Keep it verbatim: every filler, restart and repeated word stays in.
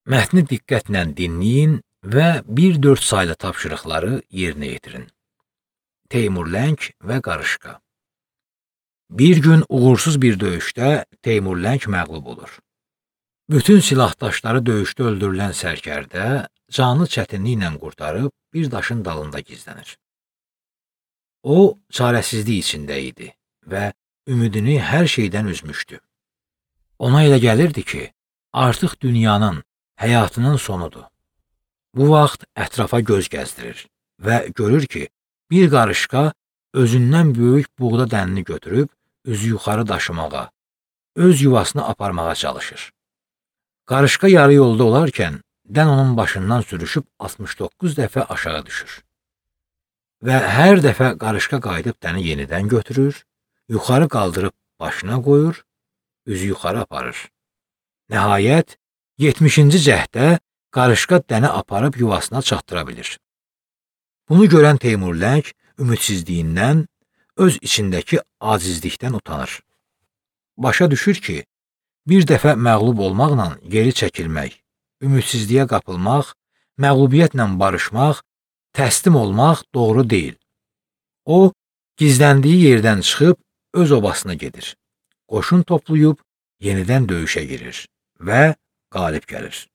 Mətni diqqətlə dinləyin və bir dörd saylı tapşırıqları yerinə yetirin. Teymurləng və qarışqa. Bir gün uğursuz bir döyüşdə Teymurləng məğlub olur. Bütün silahdaşları döyüşdə öldürülən sərkərdə canı çətinliklə qurtarıb bir daşın dalında gizlənir. O, çarəsizlik içində idi və ümidini hər şeydən üzmüşdü. Ona elə gəlirdi ki, artıq dünyanın, həyatının sonudur. Bu vaxt ətrafa göz gəzdirir və görür ki, bir qarışqa özündən böyük buğda dənini götürüb üzü yuxarı daşımağa, öz yuvasını aparmağa çalışır. Qarışqa yarı yolda olarkən dən onun başından sürüşüb altmış doqquz dəfə aşağı düşür. Və hər dəfə qarışqa qayıdıb dəni yenidən götürür, yuxarı qaldırıb başına qoyur, üzü yuxarı aparır. Nəhayət, yetmişinci cəhdə qarışqa dəni aparıb yuvasına çatdıra bilir. Bunu görən Teymurləng ümidsizliyindən, öz içindəki acizlikdən utanır. Başa düşür ki, bir dəfə məğlub olmaqla geri çəkilmək, ümidsizliyə qapılmaq, məğlubiyyətlə barışmaq, təslim olmaq doğru deyil. O, gizləndiyi yerdən çıxıb öz obasına gedir. Qoşun toplayıb yenidən döyüşə girir və qalib gəlir.